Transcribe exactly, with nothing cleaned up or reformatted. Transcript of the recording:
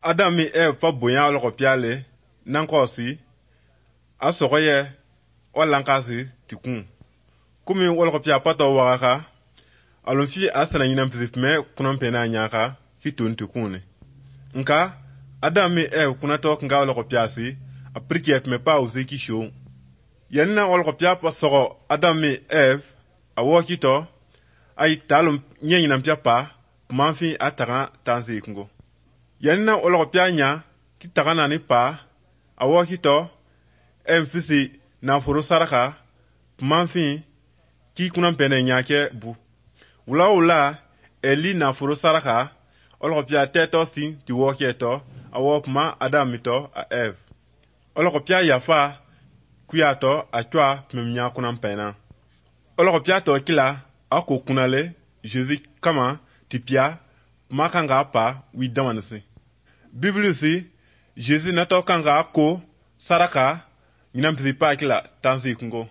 Adam mi Eve fa bonya oloko piale nankosi asogoye walankasi tikun kumi oloko pia pato waka alonsi asana nyinam pizifme kunan pena nyaka kitun tikune nka Adam mi Eve kunato nga oloko piasi apriki me pa uzi kisho yanna oloko pia pa sogo Adam mi Eve awokito ay talum nyenyinam pia pa manfi ataka tanzi kungo yanna oloko pia nya kitaka nani pa awokito emfisi na furu saraka manfi ki kunan pene nyake bu wula wula eli na furu saraka oloko pia teto si ti wokieto awokma Adam mito a Eve oloko pia yafa kuyato atwa memnya kunan pena oloko pia to kila ako kunale Jésus kama tipia makanga pa wi damanisi Bible si Jésus nato kanga ko saraka nyinampisi pa kila tansi kungo